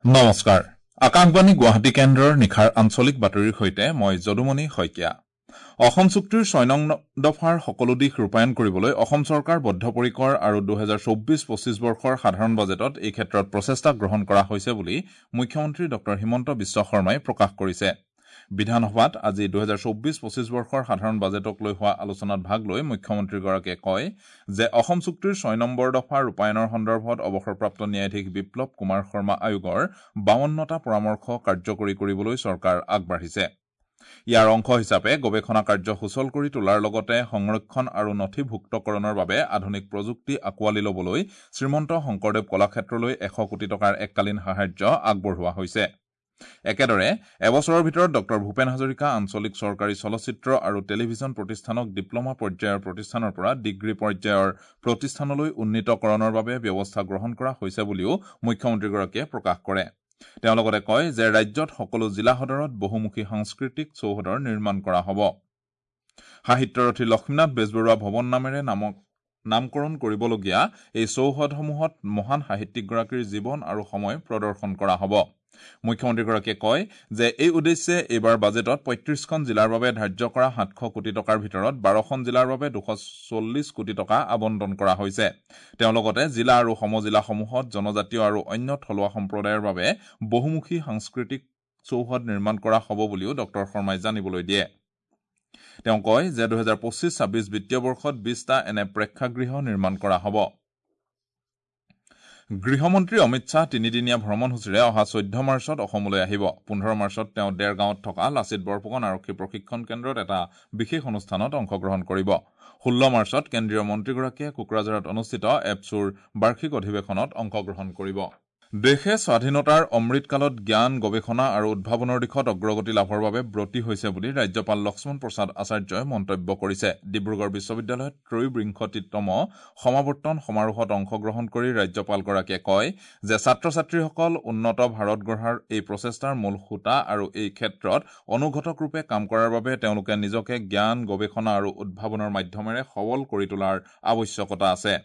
নমস্কাৰ, আকাশবাণী গুৱাহাটী কেন্দ্ৰৰ নিশাৰ আঞ্চলিক বাতৰিৰ সৈতে মই যদুমণি শইকীয়া। অসম চুক্তিৰ 6 নং দফাৰ সকলো দিশ ৰূপায়ণ কৰিবলৈ অসম চৰকাৰ বদ্ধপৰিকৰ আৰু 2024-25 বৰ্ষৰ সাধাৰণ বাজেটত এই ক্ষেত্ৰত প্ৰচেষ্টা গ্ৰহণ কৰা হৈছে বুলি মুখ্যমন্ত্ৰী ডঃ হিমন্ত বিশ্ব শৰ্মাই প্ৰকাশ কৰিছে। বিধানসভাত আজি 2024-25 বৰ্ষৰ সাধাৰণ বাজেটক লৈ হোৱা আলোচনাত ভাগ লৈ মুখ্যমন্ত্ৰীগৰাকীয়ে কয় যে অসম চুক্তিৰ 6 নম্বৰ দফা ৰূপায়ণৰ সন্দৰ্ভত অৱসৰপ্ৰাপ্ত ন্যায়াধীশ বিপ্লৱ কুমাৰ শৰ্মা আয়োগৰ 52টা পৰামৰ্শ কাৰ্যকৰী কৰিবলৈ চৰকাৰ আগবাঢ়িছে। ইয়াৰ অংশ হিচাপে গৱেষণা কাৰ্য সুচল কৰি তোলাৰ লগতে সংৰক্ষণ আৰু নথিভুক্তকৰণৰ বাবে আধুনিক প্ৰযুক্তি আঁকোৱালি ল'বলৈ শ্ৰীমন্ত শংকৰদেৱ কলাক্ষেত্ৰলৈ 100 কোটি টকাৰ এককালীন সাহায্য আগবঢ়োৱা হৈছে। একেদৰে এবছৰৰ ভিতৰত ডঃ ভূপেন হাজৰিকা আঞ্চলিক চৰকাৰী চলচ্চিত্ৰ আৰু টেলিভিছন প্ৰতিষ্ঠানক ডিপ্লমা পৰ্যায়ৰ প্ৰতিষ্ঠানৰ পৰা ডিগ্ৰী পৰ্যায়ৰ প্ৰতিষ্ঠানলৈ উন্নীতকৰণৰ বাবে ব্যৱস্থা গ্ৰহণ কৰা হৈছে বুলিও মুখ্যমন্ত্ৰীগৰাকীয়ে প্ৰকাশ কৰে। তেওঁ লগতে কয় যে ৰাজ্যত সকলো জিলা সদৰত বহুমুখী সাংস্কৃতিক চৌহদৰ নিৰ্মাণ কৰা হ'ব। সাহিত্যৰথী লক্ষ্মীনাথ বেজবৰুৱা ভৱন নামেৰে নামকৰণ কৰিবলগীয়া এই চৌহদসমূহত মহান সাহিত্যিকগৰাকীৰ জীৱন আৰু সময় প্ৰদৰ্শন কৰা হ'ব। মুখ্যমন্ত্ৰীগৰাকীয়ে কয় যে এই উদ্দেশ্যে এইবাৰ বাজেটত 35খন জিলাৰ বাবে ধাৰ্য কৰা 700 কোটি টকাৰ ভিতৰত 12খন জিলাৰ বাবে 240 কোটি টকা আবণ্টন কৰা হৈছে। তেওঁ লগতে জিলা আৰু সমজিলাসমূহত জনজাতীয় আৰু অন্য থলুৱা সম্প্ৰদায়ৰ বাবে বহুমুখী সাংস্কৃতিক চৌহদ নিৰ্মাণ কৰা হ'ব বুলিও ডঃ শৰ্মাই জানিবলৈ দিয়ে। তেওঁ কয় যে 2025-26 বিত্তীয় বৰ্ষত 20টা এনে প্ৰেক্ষাগৃহ নিৰ্মাণ কৰা হ'ব। গৃহমন্ত্ৰী অমিত শ্বাহ তিনিদিনীয়া ভ্ৰমণসূচীৰে অহা 14 মাৰ্চত অসমলৈ আহিব। 15 মাৰ্চত তেওঁ দেৰগাঁৱত থকা লাচিত বৰফুকন আৰক্ষী প্ৰশিক্ষণ কেন্দ্ৰত এটা বিশেষ অনুষ্ঠানত অংশগ্ৰহণ কৰিব। 16 মাৰ্চত কেন্দ্ৰীয় মন্ত্ৰীগৰাকীয়ে কোকৰাঝাৰত অনুষ্ঠিত এপছুৰ বাৰ্ষিক অধিৱেশনত অংশগ্ৰহণ কৰিব। দেশে স্বাধীনতাৰ অমৃতকালত জ্ঞান, গৱেষণা আৰু উদ্ভাৱনৰ দিশত অগ্ৰগতি লাভৰ বাবে ব্ৰতী হৈছে বুলি ৰাজ্যপাল লক্ষ্মণ প্ৰসাদ আচাৰ্যই মন্তব্য কৰিছে। ডিব্ৰুগড় বিশ্ববিদ্যালয়ত ত্ৰয়োবিংশতিতম সমাৱৰ্তন সমাৰোহত অংশগ্ৰহণ কৰি ৰাজ্যপালগৰাকীয়ে কয় যে ছাত্ৰ-ছাত্ৰীসকল উন্নত ভাৰত গঢ়াৰ এই প্ৰচেষ্টাৰ মূল সূতা আৰু এই ক্ষেত্ৰত অনুঘটকৰূপে কাম কৰাৰ বাবে তেওঁলোকে নিজকে জ্ঞান, গৱেষণা আৰু উদ্ভাৱনৰ মাধ্যমেৰে সবল কৰি তোলাৰ আৱশ্যকতা আছে।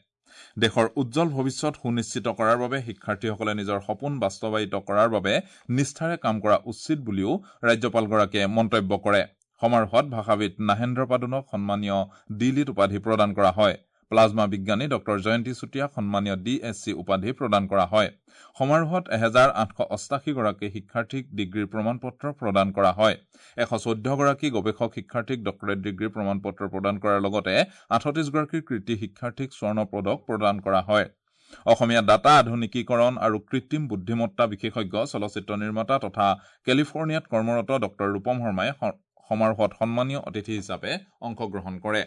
দেশৰ উজ্জ্বল ভৱিষ্যত সুনিশ্চিত কৰাৰ বাবে শিক্ষাৰ্থীসকলে নিজৰ সপোন বাস্তৱায়িত কৰাৰ বাবে নিষ্ঠাৰে কাম কৰা উচিত বুলিও ৰাজ্যপালগৰাকীয়ে মন্তব্য কৰে। সমাৰোহত ভাষাবিদ নাহেন্দ্ৰ পাদুনক সন্মানীয় ডি লিট উপাধি প্ৰদান কৰা হয়। প্লাজমা বিজ্ঞানী ডঃ জয়ন্তী চুতীয়াক সন্মানীয় ডি এছ চি উপাধি প্ৰদান কৰা হয়। সমাৰোহত 1888 গৰাকী শিক্ষাৰ্থীক ডিগ্ৰীৰ প্ৰমাণপত্ৰ প্ৰদান কৰা হয়। 114 গৰাকী গৱেষক শিক্ষাৰ্থীক ডক্টৰেট ডিগ্ৰীৰ প্ৰমাণপত্ৰ প্ৰদান কৰাৰ লগতে 38 গৰাকী কৃতী শিক্ষাৰ্থীক স্বৰ্ণ পদক প্ৰদান কৰা হয়। অসমীয়া ডাটা আধুনিকীকৰণ আৰু কৃত্ৰিম বুদ্ধিমত্তা বিশেষজ্ঞ, চলচ্চিত্ৰ নিৰ্মাতা তথা কেলিফৰ্ণিয়াত কৰ্মৰত ডঃ ৰূপম শৰ্মাই সমাৰোহত সন্মানীয় অতিথি হিচাপে অংশগ্ৰহণ কৰে।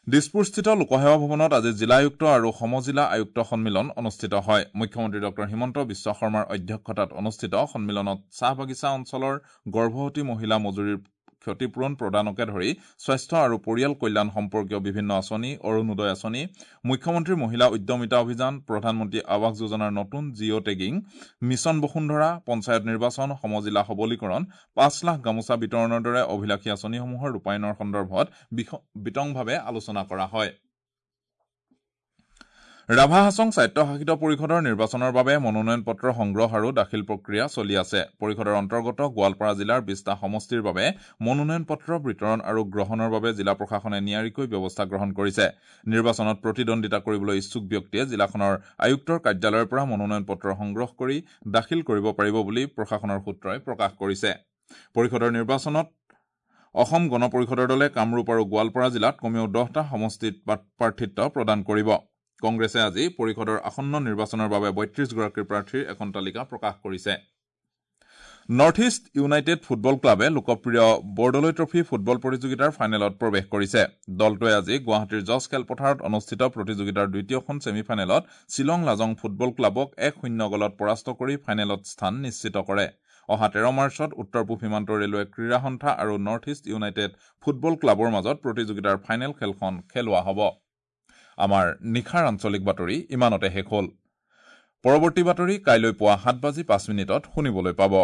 দিছপুৰস্থিত লোকসেৱা ভৱনত আজি জিলা আয়ুক্ত আৰু সমজিলা আয়ুক্ত সন্মিলন অনুষ্ঠিত হয়। মুখ্যমন্ত্ৰী ডঃ হিমন্ত বিশ্ব শৰ্মাৰ অধ্যক্ষতাত অনুষ্ঠিত সন্মিলনত চাহ বাগিচা অঞ্চলৰ গৰ্ভৱতী মহিলা মজুৰিৰ ক্ষতিপূৰণ প্ৰদানকে ধৰি স্বাস্থ্য আৰু পৰিয়াল কল্যাণ সম্পৰ্কীয় বিভিন্ন আঁচনি, অৰুণোদয় আঁচনি, মুখ্যমন্ত্ৰীৰ মহিলা উদ্যমিতা অভিযান, প্ৰধানমন্ত্ৰী আৱাস যোজনাৰ নতুন জিঅ' টেগিং, মিছন বসুন্ধৰা, পঞ্চায়ত নিৰ্বাচন, সমজিলা সবলীকৰণ, 5 লাখ গামোচা বিতৰণৰ দৰে অভিলাষী আঁচনিসমূহৰ ৰূপায়ণৰ সন্দৰ্ভত বিতংভাৱে আলোচনা কৰা হয়। ৰাভা হাছং স্বায়ত্তশাসিত পৰিষদৰ নিৰ্বাচনৰ বাবে মনোনয়ন পত্ৰ সংগ্ৰহ আৰু দাখিল প্ৰক্ৰিয়া চলি আছে। পৰিষদৰ অন্তৰ্গত গোৱালপাৰা জিলাৰ 20টা সমষ্টিৰ বাবে মনোনয়ন পত্ৰ বিতৰণ আৰু গ্ৰহণৰ বাবে জিলা প্ৰশাসনে নিয়াৰিকৈ ব্যৱস্থা গ্ৰহণ কৰিছে। নিৰ্বাচনত প্ৰতিদ্বন্দ্বিতা কৰিবলৈ ইচ্ছুক ব্যক্তিয়ে জিলাখনৰ আয়ুক্তৰ কাৰ্যালয়ৰ পৰা মনোনয়ন পত্ৰ সংগ্ৰহ কৰি দাখিল কৰিব পাৰিব বুলি প্ৰশাসনৰ সূত্ৰই প্ৰকাশ কৰিছে। পৰিষদৰ নিৰ্বাচনত অসম গণ পৰিষদৰ দলে কামৰূপ আৰু গোৱালপাৰা জিলাত কমেও 10টা সমষ্টিত প্ৰাৰ্থিত্ব প্ৰদান কৰিব। কংগ্ৰেছে আজি পৰিষদৰ আসন্ন নিৰ্বাচনৰ বাবে 32 গৰাকীৰ প্ৰাৰ্থীৰ এখন তালিকা প্ৰকাশ কৰিছে। নৰ্থ ইষ্ট ইউনাইটেড ফুটবল ক্লাবে লোকপ্ৰিয় বৰদলৈ ট্ৰফী ফুটবল প্ৰতিযোগিতাৰ ফাইনেলত প্ৰৱেশ কৰিছে। দলটোৱে আজি গুৱাহাটীৰ জজ খেলপথাৰত অনুষ্ঠিত প্ৰতিযোগিতাৰ দ্বিতীয়খন ছেমিফাইনেলত শ্বিলং লাজং ফুটবল ক্লাবক 1-0 গলত পৰাস্ত কৰি ফাইনেলত স্থান নিশ্চিত কৰে। অহা 13 মাৰ্চত উত্তৰ পূব সীমান্ত ৰেলৱে ক্ৰীড়া সন্থা আৰু নৰ্থ ইষ্ট ইউনাইটেড ফুটবল ক্লাবৰ মাজত প্ৰতিযোগিতাৰ ফাইনেল খেলখন খেলোৱা হ'ব। আমাৰ নিশাৰ আঞ্চলিক বাতৰি ইমানতে শেষ হ'ল। পৰৱৰ্তী বাতৰি কাইলৈ পুৱা 7:05 শুনিবলৈ পাব।